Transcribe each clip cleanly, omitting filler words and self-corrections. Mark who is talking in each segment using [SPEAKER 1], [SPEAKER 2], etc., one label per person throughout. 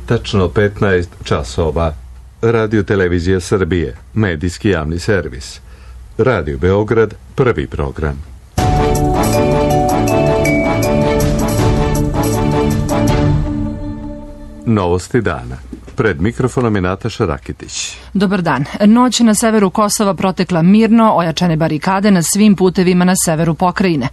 [SPEAKER 1] tačno 15 časova. Radio Televizija Srbije, medijski javni servis. Radio Beograd, prvi program. Novosti dana. Pred mikrofonom je Nataša Rakitić.
[SPEAKER 2] Dobar dan. Noć na severu Kosova protekla mirno, ojačane barikade na svim putevima na severu pokrajine.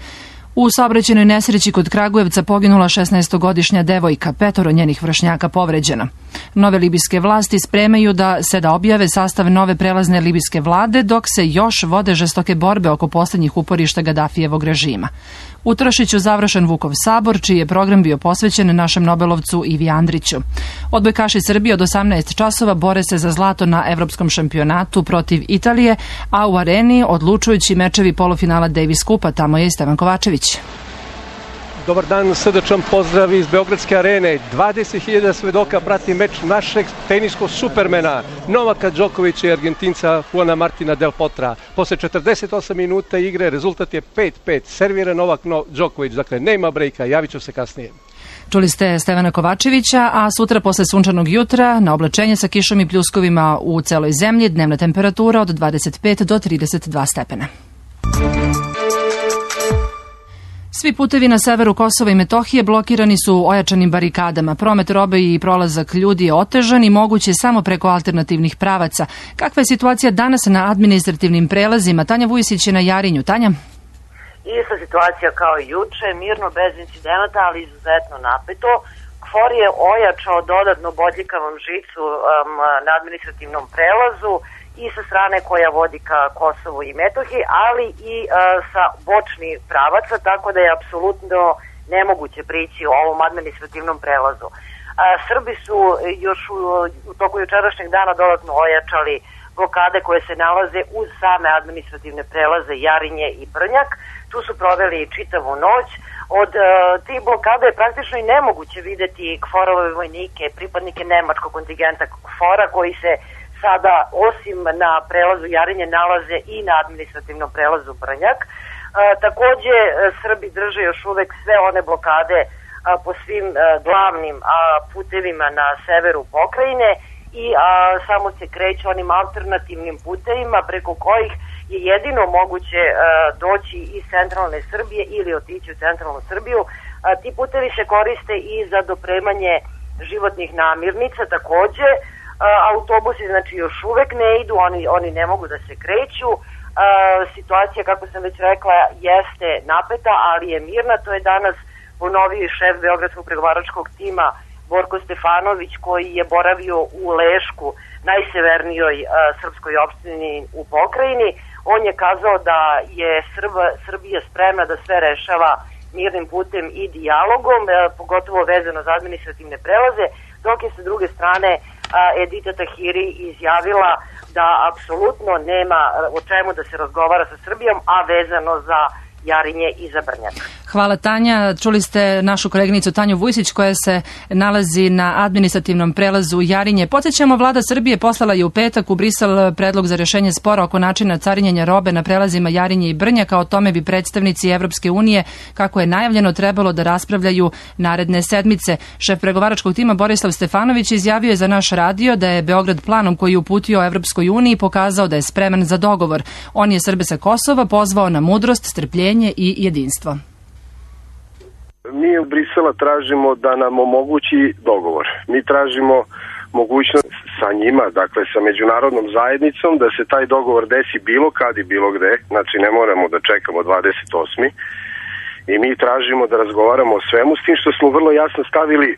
[SPEAKER 2] U saobraćajnoj nesreći kod Kragujevca poginula 16-godišnja devojka, 5 njenih vršnjaka povređeno. Nove libijske vlasti spremaju da objave sastav nove prelazne libijske vlade, dok se još vode žestoke borbe oko posljednjih uporišta Gadafijevog režima. U Tršiću završen Vukov sabor, čiji je program bio posvećen našem Nobelovcu Ivi Andriću. Odbojkaši Srbije od 18 časova bore se za zlato na evropskom šampionatu protiv Italije, a u areni odlučujući mečevi polufinala Davis Kupa. Tamo je i Stevan Kovačević.
[SPEAKER 3] Dobar dan, srdačan pozdrav iz Beogradske arene. 20.000 svedoka prati meč našeg teniskog supermena Novaka Đokovića i Argentinca Juana Martina Del Potra. Posle 48 minuta igre rezultat je 5-5. Servira Novak Đoković, dakle nema brejka, javit ću se kasnije.
[SPEAKER 2] Čuli ste Stevana Kovačevića, a sutra posle sunčanog jutra na oblačenje sa kišom i pljuskovima u celoj zemlji, dnevna temperatura od 25 do 32 stepena. Svi putevi na severu Kosova i Metohije blokirani su ojačanim barikadama. Promet robe i prolazak ljudi je otežan i moguće samo preko alternativnih pravaca. Kakva je situacija danas na administrativnim prelazima? Tanja Vujisić je na Jarinju. Tanja?
[SPEAKER 4] Ista situacija kao i juče, mirno, bez incidenata, ali izuzetno napeto. KFOR je ojačao dodatno bodljikavom žicu na administrativnom prelazu i sa strane koja vodi ka Kosovu i Metohiji, ali i sa bočnih pravaca, tako da je apsolutno nemoguće prići u ovom administrativnom prelazu. Srbi su još u toku jučerašnjeg dana dodatno ojačali blokade koje se nalaze uz same administrativne prelaze Jarinje i Brnjak. Tu su proveli čitavu noć. Od tih blokada je praktično i nemoguće videti KFOR-ove vojnike, pripadnike nemačkog kontingenta KFOR-a koji se sada osim na prelazu Jarinje nalaze i na administrativnom prelazu Brnjak. Takođe Srbi drže još uvek sve one blokade po svim glavnim putevima na severu pokrajine i samo se kreću onim alternativnim putevima preko kojih je jedino moguće doći iz centralne Srbije ili otići u centralnu Srbiju. Ti putevi se koriste i za dopremanje životnih namirnica takođe. Autobusi znači još uvek ne idu, oni ne mogu da se kreću. Situacija, kako sam već rekla, jeste napeta, ali je mirna. To je danas ponovio šef Beogradskog pregovaračkog tima Borko Stefanović, koji je boravio u Lešku, najsevernijoj srpskoj opštini u pokrajini. On je kazao da je Srbija spremna da sve rešava mirnim putem i dijalogom, pogotovo vezano za administrativne prelaze, dok je sa druge strane Edita Tahiri izjavila da apsolutno nema o čemu da se razgovara sa Srbijom, a vezano za Jarinje i za Brnjak.
[SPEAKER 2] Hvala Tanja. Čuli ste našu koleginicu Tanju Vujsić koja se nalazi na administrativnom prelazu Jarinje. Podsjećamo, vlada Srbije poslala je u petak u Brisel predlog za rešenje spora oko načina carinjenja robe na prelazima Jarinje i Brnjaka. O tome bi predstavnici Evropske unije, kako je najavljeno, trebalo da raspravljaju naredne sedmice. Šef pregovaračkog tima Borislav Stefanović izjavio je za naš radio da je Beograd planom koji je uputio Evropskoj uniji pokazao da je spreman za dogovor. On je Srbe sa Kosova pozvao na mudrost, strpljenje i jedinstvo.
[SPEAKER 5] Mi u Brisela tražimo da nam omogući dogovor. Mi tražimo mogućnost sa njima, dakle sa međunarodnom zajednicom, da se taj dogovor desi bilo kad i bilo gde, znači ne moramo da čekamo 28. I mi tražimo da razgovaramo o svemu, s tim što smo vrlo jasno stavili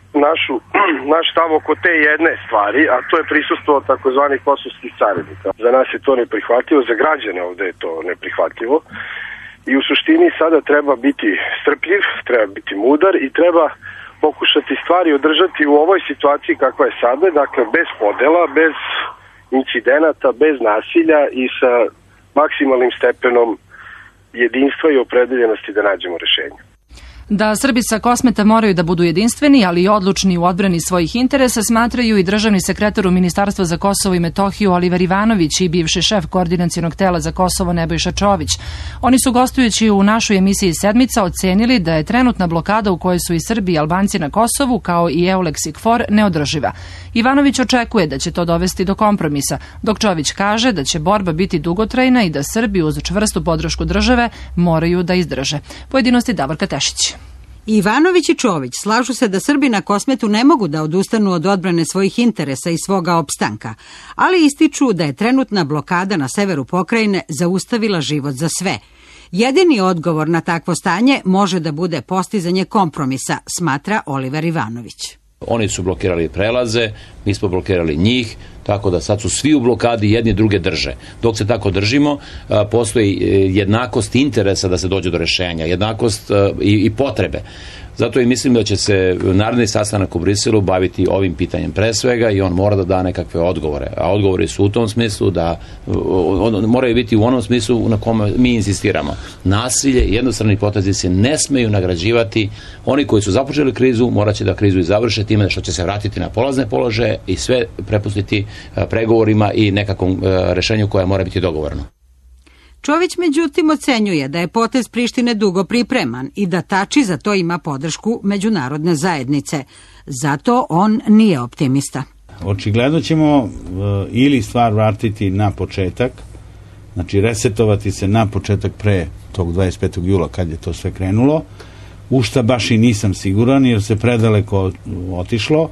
[SPEAKER 5] naš stav oko te jedne stvari, a to je prisustvo takozvanih kosovskih carinika. Za nas je to neprihvatljivo, za građane ovde je to neprihvatljivo. I u suštini sada treba biti strpljiv, treba biti mudar i treba pokušati stvari održati u ovoj situaciji kakva je sada, dakle bez podela, bez incidenata, bez nasilja i sa maksimalnim stepenom jedinstva i opredeljenosti da nađemo rešenje.
[SPEAKER 2] Da Srbi sa Kosmeta moraju da budu jedinstveni, ali i odlučni u odbrani svojih interesa, smatraju i državni sekretar u Ministarstvu za Kosovo i Metohiju Oliver Ivanović i bivši šef Koordinacionog tela za Kosovo Nebojša Čović. Oni su gostujući u našoj emisiji Sedmica ocenili da je trenutna blokada u kojoj su i Srbi i Albanci na Kosovu, kao i EULEX i KFOR, neodrživa. Ivanović očekuje da će to dovesti do kompromisa, dok Čović kaže da će borba biti dugotrajna i da Srbi uz čvrstu podršku države moraju da izdrže. Pojedinosti Davorka Tešić.
[SPEAKER 6] Ivanović i Čović slažu se da Srbi na Kosmetu ne mogu da odustanu od odbrane svojih interesa i svoga opstanka, ali ističu da je trenutna blokada na severu pokrajine zaustavila život za sve. Jedini odgovor na takvo stanje može da bude postizanje kompromisa, smatra Oliver Ivanović.
[SPEAKER 7] Oni su blokirali prelaze, mi smo blokirali njih, tako da sad su svi u blokadi, jedni druge drže. Dok se tako držimo, postoji jednakost interesa da se dođe do rešenja, jednakost i potrebe. Zato i mislim da će se naredni sastanak u Briselu baviti ovim pitanjem pre svega i on mora da da nekakve odgovore. A odgovori su u tom smislu da moraju biti u onom smislu na kome mi insistiramo. Nasilje i jednostrani potezi se ne smeju nagrađivati. Oni koji su započeli krizu morat će da krizu i završe time što će se vratiti na polazne položaje i sve prepustiti pregovorima i nekakvom rešenju koje mora biti dogovorno.
[SPEAKER 6] Čović međutim ocenjuje da je potez Prištine dugo pripreman i da Tači za to ima podršku međunarodne zajednice. Zato on nije optimista.
[SPEAKER 8] Očigledno ćemo ili stvar vratiti na početak, znači resetovati se na početak pre tog 25. jula kad je to sve krenulo, u šta baš i nisam siguran jer se predaleko otišlo,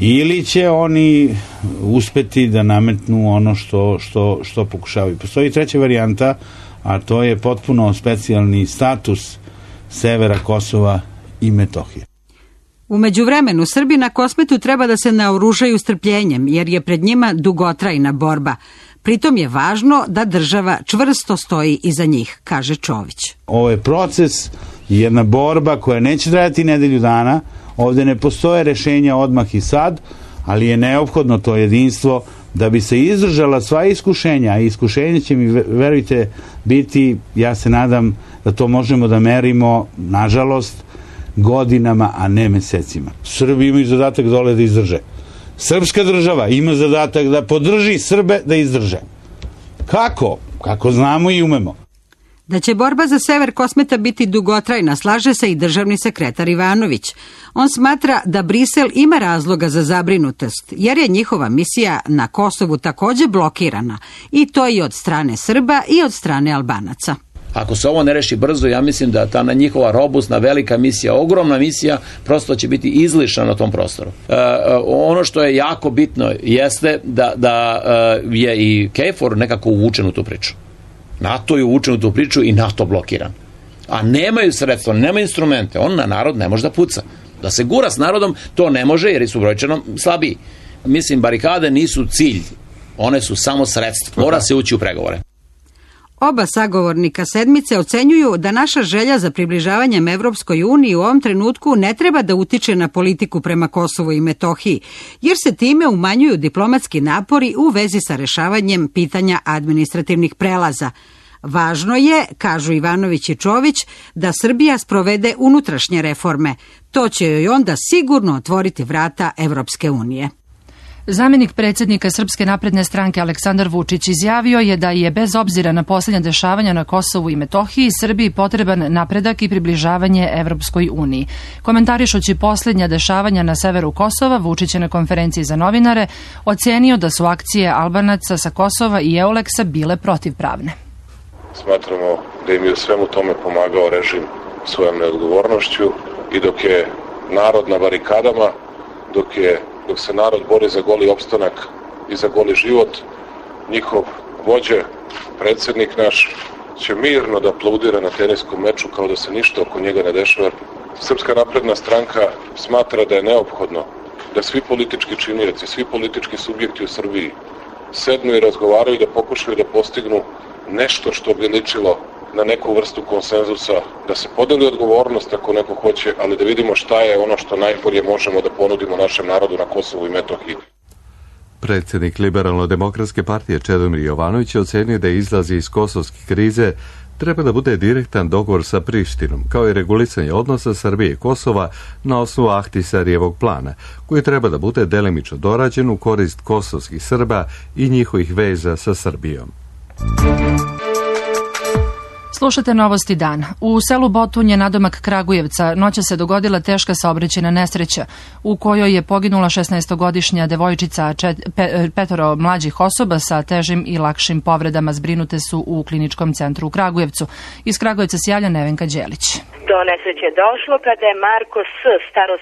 [SPEAKER 8] ili će oni uspeti da nametnu ono što pokušavaju. Postoji treća varijanta, a to je potpuno specijalni status severa Kosova i Metohije.
[SPEAKER 6] U međuvremenu Srbi na Kosmetu treba da se naoružaju strpljenjem, jer je pred njima dugotrajna borba. Pritom je važno da država čvrsto stoji iza njih, kaže Čović.
[SPEAKER 8] Ovo je proces, jedna borba koja neće trajati nedelju dana. Ovdje ne postoje rešenja odmah i sad, ali je neophodno to jedinstvo da bi se izdržala sva iskušenja, a iskušenja će mi, verujte, biti, ja se nadam da to možemo da merimo, nažalost, godinama, a ne mesecima. Srbi imaju zadatak dole da izdrže. Srpska država ima zadatak da podrži Srbe da izdrže. Kako? Kako znamo i umemo.
[SPEAKER 6] Da će borba za sever Kosmeta biti dugotrajna, slaže se i državni sekretar Ivanović. On smatra da Brisel ima razloga za zabrinutost, jer je njihova misija na Kosovu takođe blokirana, i to i od strane Srba i od strane Albanaca.
[SPEAKER 7] Ako se ovo ne reši brzo, ja mislim da ta njihova robustna, velika misija, ogromna misija, prosto će biti izlišana na tom prostoru. Ono što je jako bitno jeste da je i KFOR nekako uvučen u tu priču. NATO je uvučen u tu priču i NATO blokiran. A nemaju sredstva, nemaju instrumente. On na narod ne može da puca. Da se gura s narodom, to ne može jer su brojčano slabiji. Mislim, barikade nisu cilj. One su samo sredstvo. Mora se ući u pregovore.
[SPEAKER 6] Oba sagovornika Sedmice ocenjuju da naša želja za približavanjem Evropskoj uniji u ovom trenutku ne treba da utiče na politiku prema Kosovu i Metohiji, jer se time umanjuju diplomatski napori u vezi sa rešavanjem pitanja administrativnih prelaza. Važno je, kažu Ivanović i Čović, da Srbija sprovede unutrašnje reforme. To će joj onda sigurno otvoriti vrata Evropske unije.
[SPEAKER 2] Zamenik predsjednika Srpske napredne stranke Aleksandar Vučić izjavio je da je bez obzira na posljednja dešavanja na Kosovu i Metohiji Srbiji potreban napredak i približavanje Evropskoj uniji. Komentarišući posljednja dešavanja na severu Kosova, Vučić je na konferenciji za novinare ocenio da su akcije Albanaca sa Kosova i EULEX-a bile protivpravne.
[SPEAKER 9] Smatramo da im je u svemu tome pomagao režim svojom neodgovornošću i dok je narod na barikadama, dok se narod bori za goli opstanak i za goli život, njihov vođa, predsjednik naš, će mirno da aplaudira na teniskom meču kao da se ništa oko njega ne dešava. Srpska napredna stranka smatra da je neophodno da svi politički činioci, svi politički subjekti u Srbiji sednu i razgovaraju da pokušaju da postignu nešto što bi ličilo na neku vrstu konsenzusa, da se podeli odgovornost ako neko hoće, ali da vidimo šta je ono što najbolje možemo da ponudimo našem narodu na Kosovu i Metohiji.
[SPEAKER 1] Predsjednik Liberalno-demokratske partije Čedomir Jovanović je ocenio da izlazi iz kosovske krize treba da bude direktan dogovor sa Prištinom, kao i regulisanje odnosa Srbije i Kosova na osnovu Ahtisarijevog plana, koji treba da bude delimično dorađen u korist kosovskih Srba i njihovih veza sa Srbijom.
[SPEAKER 2] Slušate Novosti dan. U selu Botunje, nadomak Kragujevca, noća se dogodila teška saobraćajna nesreća u kojoj je poginula 16-godišnja devojčica, petoro mlađih osoba sa težim i lakšim povredama zbrinute su u kliničkom centru u Kragujevcu. Iz Kragujevca se javlja Nevenka Đelić.
[SPEAKER 10] Do nesreće je došlo kada je Marko S., star 18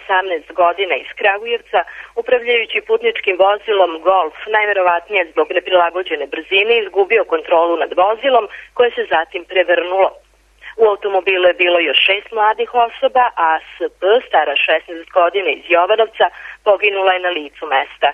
[SPEAKER 10] godina, iz Kragujevca, upravljajući putničkim vozilom Golf, najverovatnije zbog neprilagođene brzine, izgubio kontrolu nad vozilom, koje se zatim prevrnulo. U automobilu je bilo još 6 mladih osoba, a SP, stara 16 godina, iz Jovanovca, poginula je na licu mesta.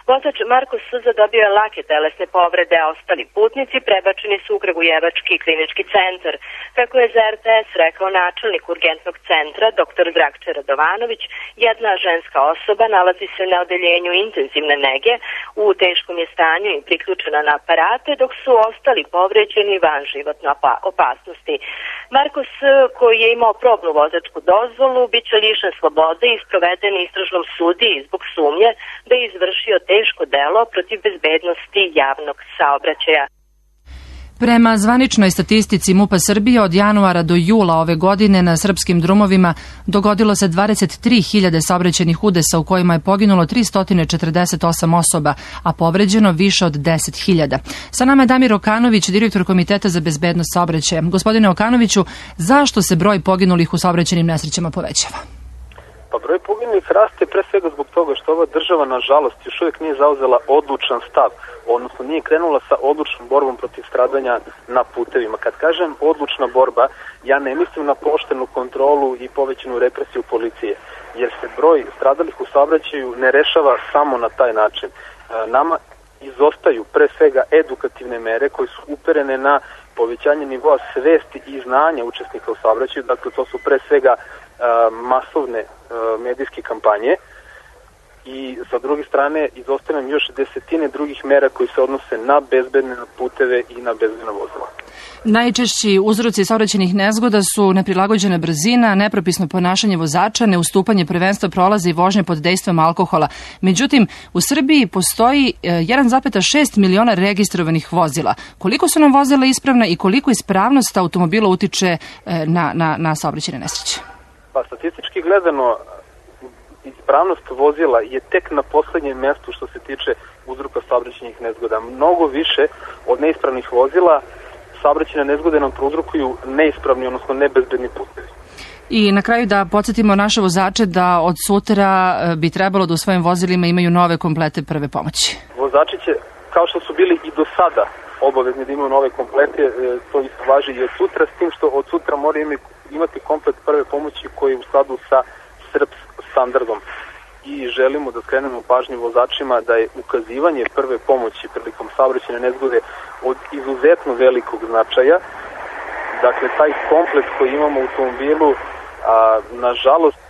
[SPEAKER 10] Vozač Marko S. zadobio je lake telesne povrede, a ostali putnici prebačeni su u Kragujevački klinički centar. Kako je za RTS rekao načelnik urgentnog centra, dr. Dragče Radovanović, jedna ženska osoba nalazi se na odeljenju intenzivne nege, u teškom je stanju i priključena na aparate, dok su ostali povređeni van životne opasnosti. Marko S., koji je imao probnu vozačku dozvolu, bit će lišen slobode i sproveden istražnom sudiji zbog sumnje da je izvršio teško delo protiv bezbednosti javnog saobraćaja.
[SPEAKER 2] Prema zvaničnoj statistici MUP-a Srbije, od januara do jula ove godine na srpskim drumovima dogodilo se 23.000 saobraćajnih udesa u kojima je poginulo 348 osoba, a povređeno više od 10.000. Sa nama je Damir Okanović, direktor Komiteta za bezbednost saobraćaja. Gospodine Okanoviću, zašto se broj poginulih u saobraćajnim nesrećama povećava?
[SPEAKER 11] Pa broj poginulih raste pre svega zbog toga što ova država, nažalost, još uvijek nije zauzela odlučan stav, odnosno nije krenula sa odlučnom borbom protiv stradanja na putevima. Kad kažem odlučna borba, ja ne mislim na poštenu kontrolu i povećanu represiju policije, jer se broj stradalih u saobraćaju ne rešava samo na taj način. Nama izostaju pre svega edukativne mere koje su uperene na povećanje nivoa svesti i znanja učesnika u saobraćaju, dakle to su pre svega masovne medijske kampanje i sa druge strane izostaju nam još desetine drugih mera koji se odnose na bezbedne puteve i na bezbedna vozila.
[SPEAKER 2] Najčešći uzroci saobraćajnih nezgoda su neprilagođena brzina, nepropisno ponašanje vozača, neustupanje prvenstva prolaza i vožnje pod dejstvom alkohola. Međutim, u Srbiji postoji 1,6 miliona registrovanih vozila. Koliko su nam vozila ispravna i koliko ispravnost automobila utiče na saobraćajne nesreće?
[SPEAKER 11] Pa statistički gledano, ispravnost vozila je tek na poslednjem mjestu što se tiče uzroka saobraćajnih nezgoda. Mnogo više od neispravnih vozila saobraćajne nezgode nam prouzrokuju neispravni, odnosno nebezbedni putevi.
[SPEAKER 2] I na kraju da podsjetimo naše vozače da od sutra bi trebalo da u svojim vozilima imaju nove komplete prve pomoći.
[SPEAKER 11] Vozači će, kao što su bili i do sada obavezni da imaju nove komplete, to isto važi i od sutra, s tim što od sutra moraju imati komplet prve pomoći koji je u skladu sa SRPS standardom. I želimo da skrenemo pažnju vozačima da je ukazivanje prve pomoći prilikom saobraćajne nezgode od izuzetno velikog značaja. Dakle, taj komplet koji imamo u automobilu, nažalost,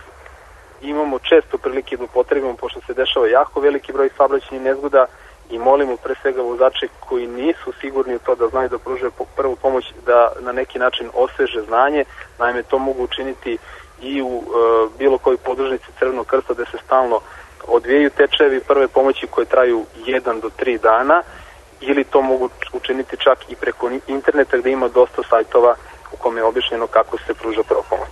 [SPEAKER 11] imamo često prilike da upotrebimo, pošto se dešava jako veliki broj saobraćajnih nezgoda, i molimo pre svega vozače koji nisu sigurni u to da znaju da pruže prvu pomoć da na neki način osveže znanje. Naime, to mogu učiniti i u bilo kojoj podružnici Crvenog krsta gde se stalno odvijaju tečajevi prve pomoći koje traju 1 do 3 dana, ili to mogu učiniti čak i preko interneta gde ima dosta sajtova u kome je objašnjeno kako se pruža prva pomoć.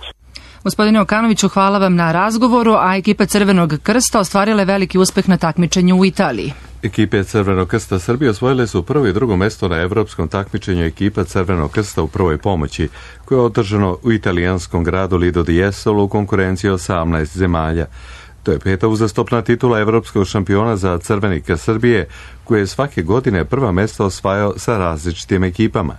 [SPEAKER 2] Gospodine Okanoviću, hvala vam na razgovoru, a ekipa Crvenog krsta ostvarila je veliki uspeh na takmičenju u Italiji.
[SPEAKER 1] Ekipe Crvenog krsta Srbije osvojile su prvo i drugo mesto na evropskom takmičenju ekipa Crvenog krsta u prvoj pomoći, koje je održano u italijanskom gradu Lido di Jesolo u konkurenciji 18 zemalja. To je 5. uzastopna titula evropskog šampiona za Crveni krst Srbije, koje je svake godine prva mesta osvajao sa različitim ekipama.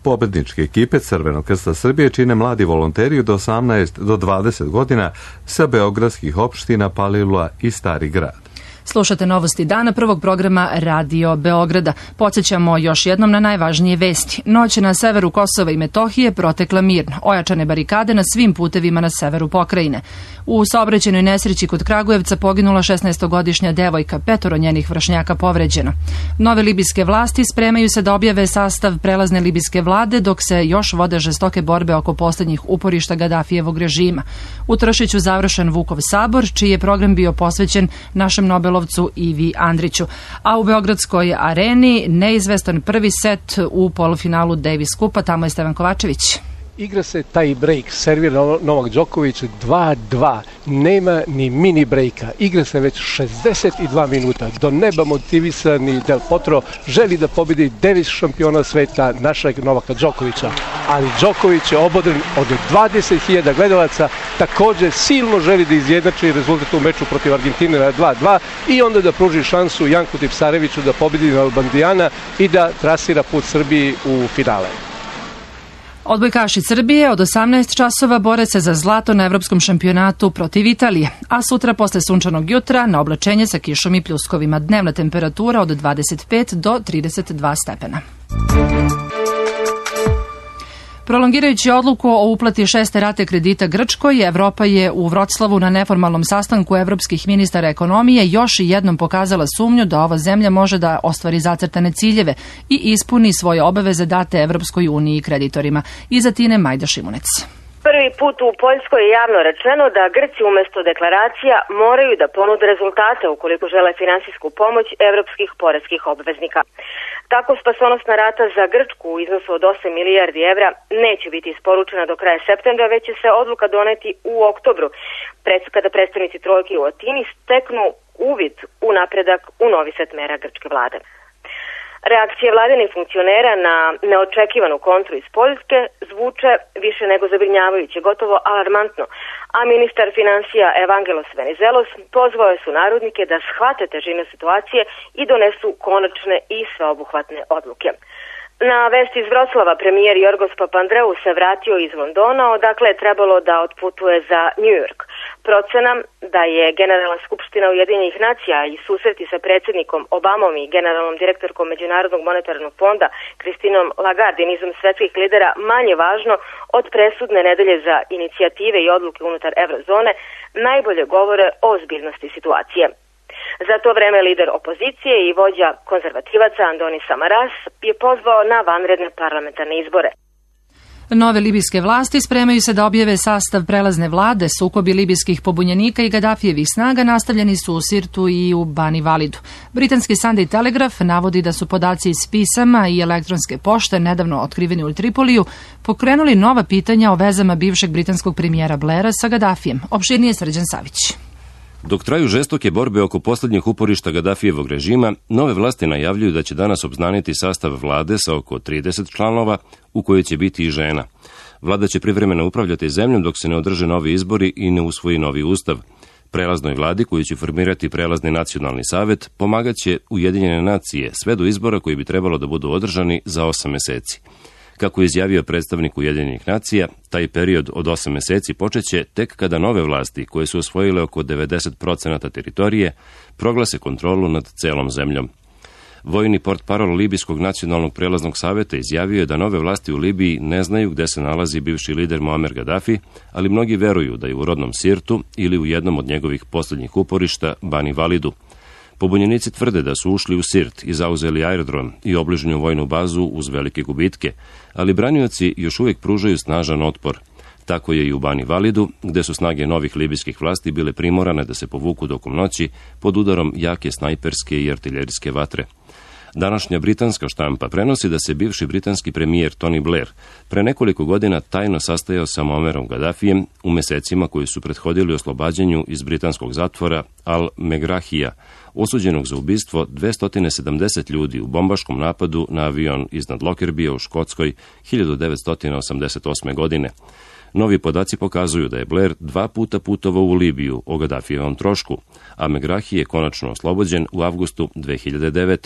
[SPEAKER 1] Pobedničke ekipe Crvenog krsta Srbije čine mladi volonteri od 18 do 20 godina sa beogradskih opština Palilula i Stari grad.
[SPEAKER 2] Slušate novosti dana prvog programa Radio Beograda. Podsjećamo još jednom na najvažnije vesti. Noć na severu Kosova i Metohije protekla mirno. Ojačane barikade na svim putevima na severu pokrajine. U saobraćajnoj nesreći kod Kragujevca poginula 16-godišnja devojka, 5 njenih vršnjaka povređeno. Nove libijske vlasti spremaju se da objave sastav prelazne libijske vlade dok se još vode žestoke borbe oko poslednjih uporišta Gadafijevog režima. U Tršiću završen Vukov sabor, čiji je program bio posvećen našem Nobelovcu Ivi Andriću. A u Beogradskoj areni neizvestan prvi set u polufinalu Davis Kupa, tamo je Stevan Kovačević.
[SPEAKER 3] Igra se taj break, servira Novak Đoković 2-2, nema ni mini breaka, igra se već 62 minuta, do neba motivisani Del Potro želi da pobedi Davis šampiona sveta našeg Novaka Đokovića, ali Đoković je obodren od 20.000 gledalaca, takođe silno želi da izjednači rezultat u meču protiv Argentine na 2-2 i onda da pruži šansu Janku Tipsareviću da pobedi Nalbandijana i da trasira put Srbiji u finale.
[SPEAKER 2] Odbojkaši Srbije od 18 časova bore se za zlato na evropskom šampionatu protiv Italije, a sutra posle sunčanog jutra na oblačenje sa kišom i pljuskovima. Dnevna temperatura od 25 do 32 stepena. Prolongirajući odluku o uplati 6. rate kredita Grčkoj, Evropa je u Vroclavu na neformalnom sastanku evropskih ministara ekonomije još jednom pokazala sumnju da ova zemlja može da ostvari zacrtane ciljeve i ispuni svoje obaveze date Evropskoj uniji i kreditorima. Iza Tine Majda Šimunec.
[SPEAKER 12] Prvi put u Poljskoj je javno rečeno da Grci umesto deklaracija moraju da ponude rezultate ukoliko žele finansijsku pomoć evropskih poreskih obveznika. Tako spasonosna rata za Grčku u iznosu od 8 milijardi evra neće biti isporučena do kraja septembra, već će se odluka doneti u oktobru, kada predstavnici trojke u Atini steknu uvid u napredak u novi set mera grčke vlade. Reakcije vladinih funkcionera na neočekivanu kontru iz Poljske zvuče više nego zabrinjavajuće, gotovo alarmantno, a ministar finansija Evangelos Venizelos pozvao je sunarodnike da shvate težinu situacije i donesu konačne i sveobuhvatne odluke. Na vesti iz Vroclava premijer Jorgos Papandreou se vratio iz Londona, odakle je trebalo da otputuje za New York. Procena da je Generalna skupština Ujedinjenih nacija i susreti sa predsjednikom Obamom i generalnom direktorkom Međunarodnog monetarnog fonda Kristinom Lagarde i nizom svetskih lidera manje važno od presudne nedelje za inicijative i odluke unutar eurozone najbolje govore o ozbiljnosti situacije. Za to vreme lider opozicije i vođa konzervativaca Andoni Samaras je pozvao na vanredne parlamentarne izbore.
[SPEAKER 2] Nove libijske vlasti spremaju se da objave sastav prelazne vlade. Sukobi libijskih pobunjenika i Gadafijevih snaga nastavljeni su u Sirtu i u Bani Validu. Britanski Sunday Telegraph navodi da su podaci iz pisama i elektronske pošte nedavno otkriveni u Tripoliju pokrenuli nova pitanja o vezama bivšeg britanskog premijera Blaira sa Gadafijem. Opširnije Srđan Savić.
[SPEAKER 13] Dok traju žestoke borbe oko poslednjih uporišta Gadafijevog režima, nove vlasti najavljuju da će danas obznaniti sastav vlade sa oko 30 članova, u kojoj će biti i žena. Vlada će privremeno upravljati zemljom dok se ne održe novi izbori i ne usvoji novi ustav. Prelaznoj vladi, koju će formirati prelazni nacionalni savet, pomagaće Ujedinjene nacije sve do izbora koji bi trebalo da budu održani za 8 meseci. Kako je izjavio predstavnik Ujedinjenih nacija, taj period od 8 meseci počeće tek kada nove vlasti, koje su osvojile oko 90% teritorije, proglase kontrolu nad celom zemljom. Vojni portparol Libijskog nacionalnog prelaznog saveta izjavio je da nove vlasti u Libiji ne znaju gde se nalazi bivši lider Muamer Gaddafi, ali mnogi veruju da je u rodnom Sirtu ili u jednom od njegovih posljednjih uporišta Bani Validu. Pobunjenici tvrde da su ušli u Sirt i zauzeli aerodrom i obližnju vojnu bazu uz velike gubitke, ali branioci još uvijek pružaju snažan otpor. Tako je i u Bani Validu, gde su snage novih libijskih vlasti bile primorane da se povuku tokom noći pod udarom jake snajperske i artiljerijske vatre. Današnja britanska štampa prenosi da se bivši britanski premijer Tony Blair pre nekoliko godina tajno sastajao sa Muammerom Gaddafijem u mesecima koji su prethodili oslobađanju iz britanskog zatvora Al-Megrahija, osuđenog za ubistvo 270 ljudi u bombaškom napadu na avion iznad Lockerbie u Škotskoj 1988. godine. Novi podaci pokazuju da je Blair 2 puta putovao u Libiju o Gaddafijevom trošku, a Megrahi je konačno oslobođen u avgustu 2009.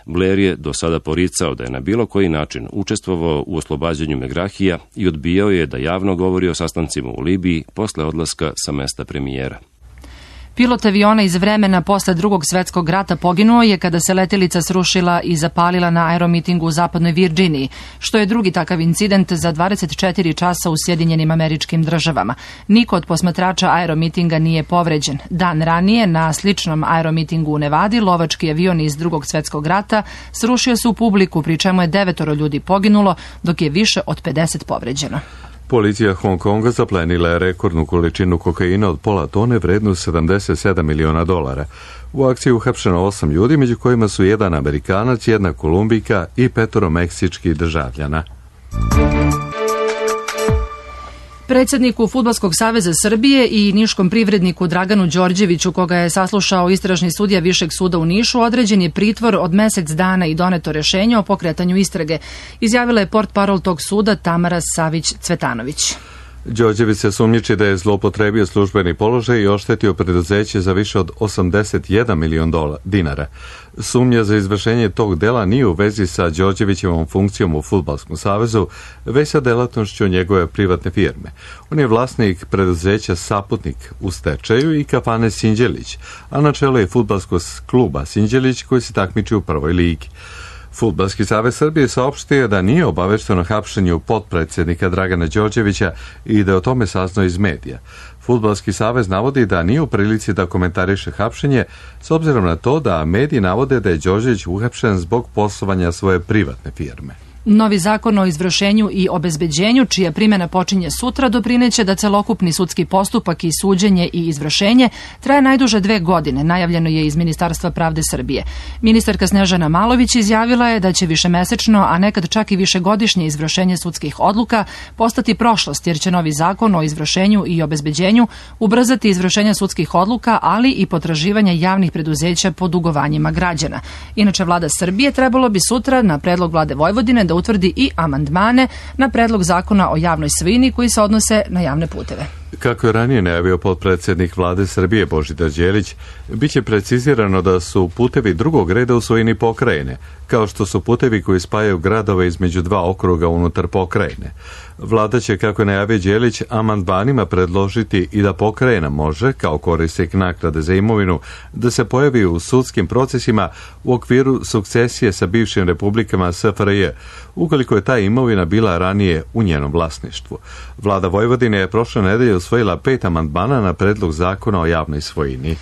[SPEAKER 13] Blair je do sada poricao da je na bilo koji način učestvovao u oslobađanju Megrahija i odbijao je da javno govori o sastancima u Libiji posle odlaska sa mesta premijera.
[SPEAKER 2] Pilot aviona iz vremena posle Drugog svetskog rata poginuo je kada se letelica srušila i zapalila na aeromitingu u zapadnoj Virdžiniji, što je drugi takav incident za 24 časa u Sjedinjenim Američkim Državama. Niko od posmatrača aeromitinga nije povređen. Dan ranije, na sličnom aeromitingu u Nevadi, lovački avion iz Drugog svetskog rata srušio se u publiku, pri čemu je 9 ljudi poginulo, dok je više od 50 povređeno.
[SPEAKER 1] Policija Hong Konga zaplenila je rekordnu količinu kokaina od pola tone vrednu $77 miliona. U akciji uhapšeno 8 ljudi, među kojima su 1 Amerikanac, 1 Kolumbijka i 5 meksičkih državljana.
[SPEAKER 2] Predsjedniku Fudbalskog saveza Srbije i niškom privredniku Draganu Đorđeviću, koga je saslušao istražni sudija Višeg suda u Nišu, određen je pritvor od mesec dana i doneto rješenje o pokretanju istrage, izjavila je portparol tog suda Tamara Savić-Cvetanović.
[SPEAKER 1] Đorđević se sumnjiči da je zloupotrebio službeni položaj i oštetio preduzeće za više od $81 milion dinara. Sumnja za izvršenje tog dela nije u vezi sa Đorđevićevom funkcijom u Fudbalskom savezu, već sa delatnošću njegove privatne firme. On je vlasnik preduzeća Saputnik u stečaju i kafane Sinđelić, a na čelu je fudbalskog kluba Sinđelić koji se takmiči u prvoj ligi. Fudbalski savez Srbije saopštio da nije obavešten o hapšenju potpredsjednika Dragana Đorđevića i da je o tome saznao iz medija. Fudbalski savez navodi da nije u prilici da komentariše hapšenje, s obzirom na to da mediji navode da je Đorđević uhapšen zbog poslovanja svoje privatne firme.
[SPEAKER 2] Novi zakon o izvršenju i obezbeđenju, čija primjena počinje sutra, doprineće da celokupni sudski postupak i suđenje i izvršenje traje najduže 2 godine, najavljeno je iz Ministarstva pravde Srbije. Ministarka Snežana Malović izjavila je da će višemesečno, a nekad čak i višegodišnje izvršenje sudskih odluka postati prošlost, jer će novi zakon o izvršenju i obezbeđenju ubrzati izvršenje sudskih odluka, ali i potraživanje javnih preduzeća po dugovanjima građana. Inače, vlada Srbije trebalo bi sutra na predlog vlade Vojvodine da utvrdi i amandmane na predlog zakona o javnoj svojini koji se odnose na javne puteve.
[SPEAKER 1] Kako je ranije najavio potpredsjednik vlade Srbije Božidar Đelić, biće precizirano da su putevi drugog reda u svojini pokrajine, kao što su putevi koji spajaju gradove između 2 okruga unutar pokrajine. Vlada će, kako je najavio Đelić, amandmanima predložiti i da pokrajina može, kao korisnik naknade za imovinu, da se pojavi u sudskim procesima u okviru sukcesije sa bivšim republikama SFRJ, ukoliko je ta imovina bila ranije u njenom vlasništvu. Vlada Vojvodine je prošle nedelje usvojila 5 amandmana na predlog zakona o javnoj svojini.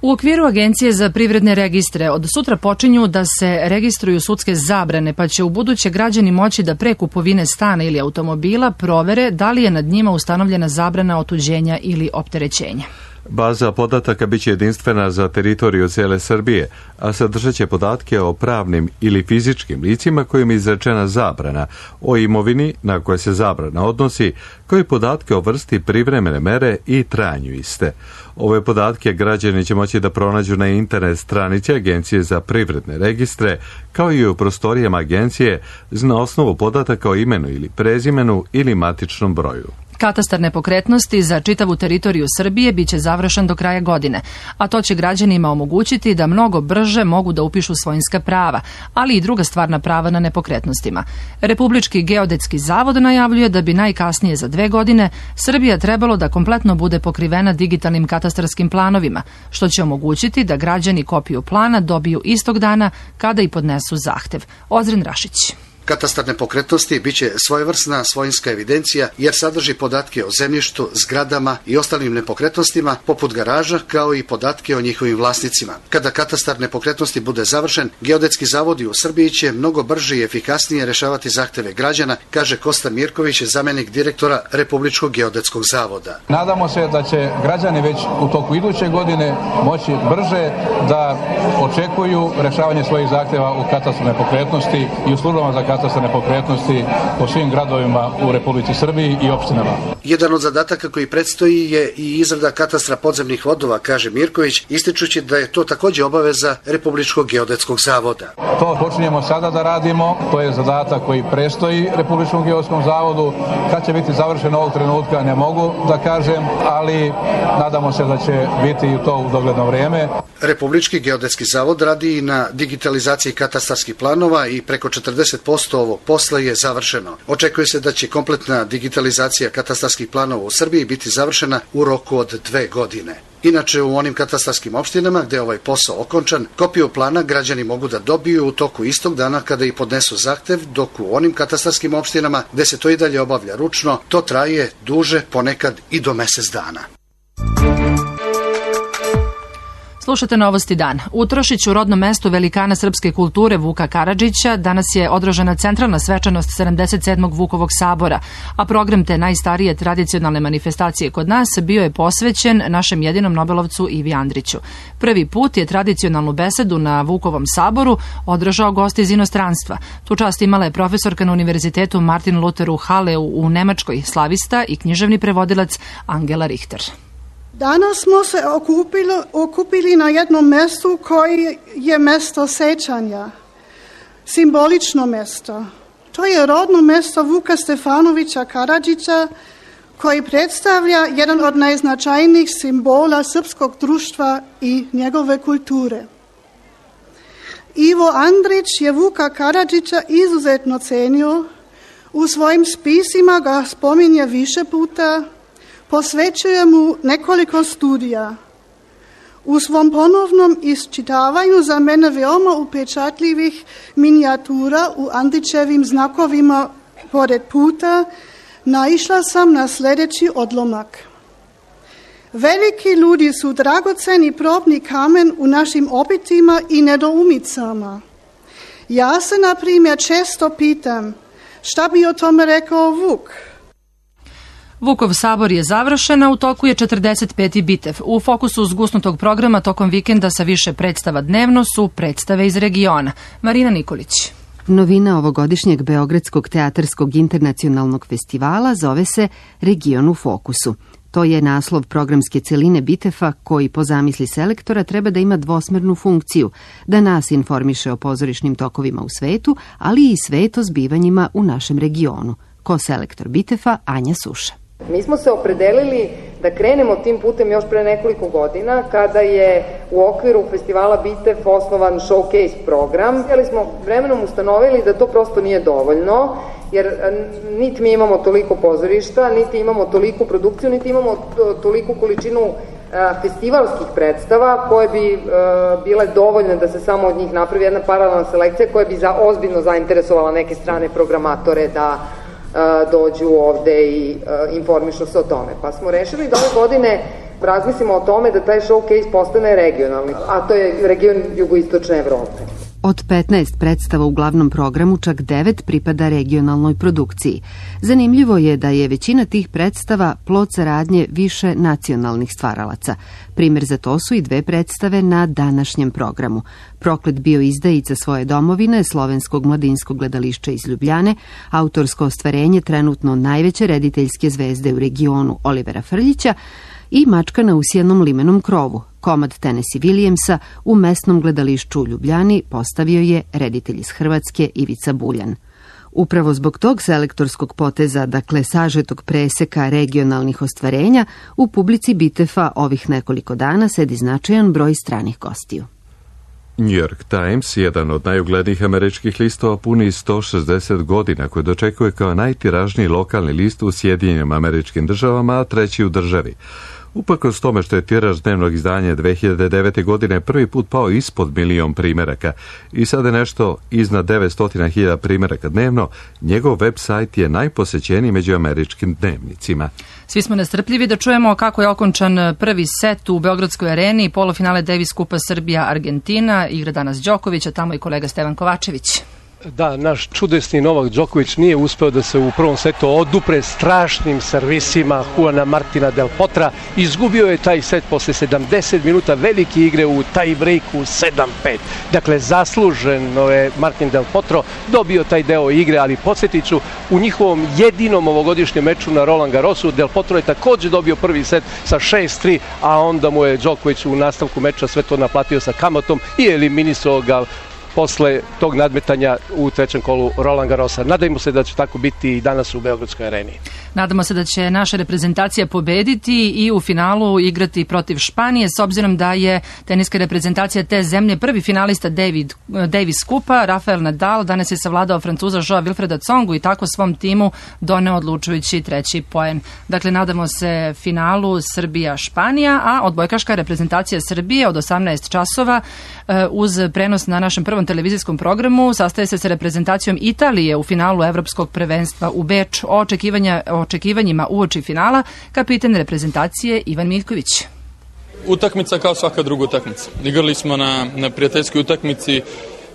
[SPEAKER 2] U okviru Agencije za privredne registre od sutra počinju da se registruju sudske zabrane, pa će u buduće građani moći da pre kupovine stana ili automobila provere da li je nad njima ustanovljena zabrana otuđenja ili opterećenja.
[SPEAKER 1] Baza podataka biće jedinstvena za teritoriju cijele Srbije, a sadržat će podatke o pravnim ili fizičkim licima kojim je izrečena zabrana, o imovini na koje se zabrana odnosi, kao i podatke o vrsti privremene mere i trajanju iste. Ove podatke građani će moći da pronađu na internet stranici Agencije za privredne registre, kao i u prostorijama agencije na osnovu podataka o imenu ili prezimenu ili matičnom broju.
[SPEAKER 2] Katastar nepokretnosti za čitavu teritoriju Srbije biće završen do kraja godine, a to će građanima omogućiti da mnogo brže mogu da upišu svojinska prava, ali i druga stvarna prava na nepokretnostima. Republički geodetski zavod najavljuje da bi najkasnije za 2 godine Srbija trebalo da kompletno bude pokrivena digitalnim katastarskim planovima, što će omogućiti da građani kopiju plana dobiju istog dana kada i podnesu zahtev. Ozren Rašić.
[SPEAKER 14] Katastar nepokretnosti biće svojevrsna svojinska evidencija jer sadrži podatke o zemljištu, zgradama i ostalim nepokretnostima poput garaža kao i podatke o njihovim vlasnicima. Kada katastar nepokretnosti bude završen, geodetski zavodi u Srbiji će mnogo brže i efikasnije rešavati zahteve građana, kaže Kosta Mirković, zamenik direktora Republičkog geodetskog zavoda.
[SPEAKER 15] Nadamo se da će građani već u toku iduće godine moći brže da očekuju rešavanje svojih zahteva u katastru nepokretnosti i u službama za katastar nepokretnosti po svim gradovima u Republici Srbiji i opštinama.
[SPEAKER 14] Jedan od zadataka koji predstoji je i izrada katastra podzemnih vodova, kaže Mirković, ističući da je to takođe obaveza Republičkog geodetskog zavoda.
[SPEAKER 15] To počinjemo sada da radimo, to je zadatak koji predstoji Republičkom geodetskom zavodu. Kad će biti završeno ovog trenutka ne mogu da kažem, ali nadamo se da će biti i to u dogledno vrijeme.
[SPEAKER 14] Republički geodetski zavod radi i na digitalizaciji katastarskih planova i preko 40% ovog posla je završeno. Očekuje se da će kompletna digitalizacija katastarskih planova u Srbiji biti završena u roku od 2 godine. Inače, u onim katastarskim opštinama gde je ovaj posao okončan, kopiju plana građani mogu da dobiju u toku istog dana kada i podnesu zahtev, dok u onim katastarskim opštinama gde se to i dalje obavlja ručno, to traje duže, ponekad i do mesec dana.
[SPEAKER 2] Slušate Novosti dan. U Trošiću, rodnom mestu velikana srpske kulture Vuka Karadžića, danas je održana centralna svečanost 77. Vukovog sabora, a program te najstarije tradicionalne manifestacije kod nas bio je posvećen našem jedinom Nobelovcu Ivi Andriću. Prvi put je tradicionalnu besedu na Vukovom saboru održao gost iz inostranstva. Tu čast imala je profesorka na Univerzitetu Martin Luther u Haleu u Nemačkoj, slavista i književni prevodilac Angela Richter.
[SPEAKER 16] Danas smo se okupili na jednom mestu koji je mesto sećanja, simbolično mesto. To je rodno mesto Vuka Stefanovića Karadžića, koji predstavlja jedan od najznačajnijih simbola srpskog društva i njegove kulture. Ivo Andrić je Vuka Karadžića izuzetno cenio, u svojim spisima ga spominje više puta, posvećuje mu nekoliko studija. U svom ponovnom isčitavanju za mene veoma upečatljivih minijatura u Andrićevim znakovima pored puta naišla sam na sljedeći odlomak. Veliki ljudi su dragoceni probni kamen u našim obitima i nedoumicama. Ja se, na primjer, često pitam šta bi o tome rekao Vuk.
[SPEAKER 2] Vukov sabor je završen, a u toku je 45. bitev. U fokusu zgusnutog programa tokom vikenda sa više predstava dnevno su predstave iz regiona. Marina Nikolić.
[SPEAKER 17] Novina ovogodišnjeg Beogradskog teatarskog internacionalnog festivala zove se Region u fokusu. To je naslov programske celine Bitefa koji po zamisli selektora treba da ima dvosmernu funkciju, da nas informiše o pozorišnim tokovima u svetu, ali i svet o zbivanjima u našem regionu. Ko-selektor Bitefa Anja Suša.
[SPEAKER 18] Mi smo se opredelili da krenemo tim putem još pre nekoliko godina kada je u okviru festivala Bitev osnovan showcase program. Ali smo vremenom ustanovili da to prosto nije dovoljno, jer niti mi imamo toliko pozorišta, niti imamo toliku produkciju, niti imamo toliku količinu festivalskih predstava koje bi bile dovoljne da se samo od njih napravi jedna paralelna selekcija koja bi ozbiljno zainteresovala neke strane programatore da dođu ovde i informišu se o tome. Pa smo rešili da ove godine razmislimo o tome da taj showcase postane regionalni, a to je region jugoistočne Evrope.
[SPEAKER 17] Od 15 predstava u glavnom programu čak 9 pripada regionalnoj produkciji. Zanimljivo je da je većina tih predstava plod saradnje više nacionalnih stvaralaca. Primjer za to su i 2 predstave na današnjem programu. Proklet bio izdajica svoje domovine, slovenskog mladinskog gledališća iz Ljubljane, autorsko ostvarenje trenutno najveće rediteljske zvezde u regionu Olivera Frljića i Mačka na usijanom limenom krovu. Komad Tennessee Williamsa u mesnom gledališću u Ljubljani postavio je reditelj iz Hrvatske Ivica Buljan. Upravo zbog tog selektorskog poteza, dakle sažetog preseka regionalnih ostvarenja, u publici Bitefa ovih nekoliko dana sedi značajan broj stranih gostiju.
[SPEAKER 1] New York Times, jedan od najuglednijih američkih listova, puni 160 godina, koji dočekuje kao najtiražniji lokalni list u Sjedinjenim Američkim Državama, a treći u državi. Uprkos tome što je tiraž dnevnog izdanja 2009. godine prvi put pao ispod 1 milion primeraka i sada je nešto iznad 900.000 primeraka dnevno, njegov web sajt je najposećeniji među američkim dnevnicima.
[SPEAKER 2] Svi smo nestrpljivi da čujemo kako je okončan prvi set u Beogradskoj areni, polufinale Davis Kupa Srbija-Argentina, igra danas Đoković, a tamo i kolega Stevan Kovačević.
[SPEAKER 3] Da, naš čudesni Novak Đoković nije uspeo da se u prvom setu odupre strašnim servisima Juana Martina Del Potra. Izgubio je taj set posle 70 minuta velike igre u tie breaku 7-5. Dakle, zasluženo je Martin Del Potro dobio taj deo igre, ali podsjetit ću, u njihovom jedinom ovogodišnjem meču na Roland Garrosu Del Potro je također dobio prvi set sa 6-3, a onda mu je Đoković u nastavku meča sve to naplatio sa kamatom i eliminisao ga posle tog nadmetanja u trećem kolu Roland Garrosa. Nadajmo se da će tako biti i danas u Beogradskoj areni.
[SPEAKER 2] Nadamo se da će naša reprezentacija pobediti i u finalu igrati protiv Španije, s obzirom da je teniska reprezentacija te zemlje prvi finalista Davis Kupa, Rafael Nadal, danas je savladao Francuza Joa Wilfreda Tsongu i tako svom timu doneo odlučujući 3. poen. Dakle, nadamo se finalu Srbija-Španija, a odbojkaška reprezentacija Srbije od 18 časova uz prenos na našem prvom televizijskom programu sastaje se sa reprezentacijom Italije u finalu Evropskog prvenstva u Beču. O očekivanjima uoči finala kapiten reprezentacije Ivan Miljković.
[SPEAKER 19] Utakmica kao svaka druga utakmica. Igrali smo na prijateljskoj utakmici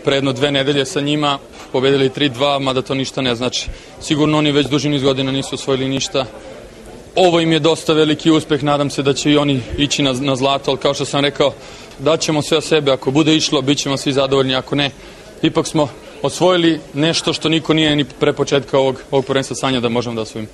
[SPEAKER 19] pre jedno 2 nedelje sa njima, pobedili 3-2, mada to ništa ne znači. Sigurno oni već duži niz godina nisu osvojili ništa. Ovo im je dosta veliki uspeh, nadam se da će i oni ići na zlato, ali kao što sam rekao, daćemo sve o sebe, ako bude išlo, bit ćemo svi zadovoljni, ako ne, ipak smo osvojili nešto što niko nije ni pre početka ovog prvenstva sanja da možemo da osvojimo.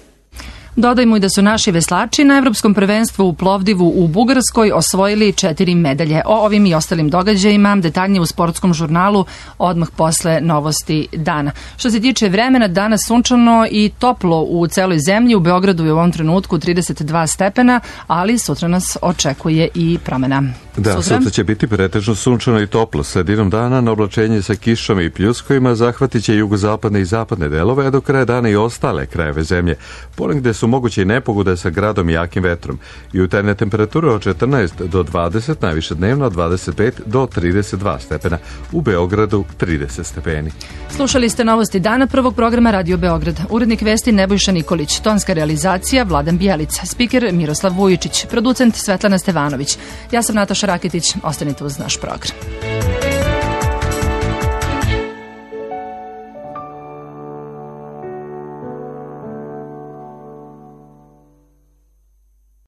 [SPEAKER 2] Dodajmo i da su naši veslači na Evropskom prvenstvu u Plovdivu u Bugarskoj osvojili 4 medalje. O ovim i ostalim događajima detaljnije u sportskom žurnalu odmah posle novosti dana. Što se tiče vremena, danas sunčano i toplo u celoj zemlji. U Beogradu je u ovom trenutku 32 stepena, ali sutra nas očekuje i promena.
[SPEAKER 1] Da, sutra će biti pretežno sunčano i toplo. Sredinom dana na oblačenje sa kišom i pljuskovima zahvatit će jugozapadne i zapadne delove, a do kraja dana i ostale krajeve zemlje. Ponegde su moguće i nepogode sa gradom i jakim vetrom. Jutarnje temperature od 14 do 20, najviše dnevno od 25 do 32 stepena. U Beogradu 30 stepeni.
[SPEAKER 2] Slušali ste novosti dana prvog programa Radio Beograd. Urednik vesti Nebojša Nikolić, tonska realizacija Vladan Bijelica, spiker Miroslav Vujičić, producent Svetlana Stevanović. Ja sam Nataša Raketić, ostanite uz naš program.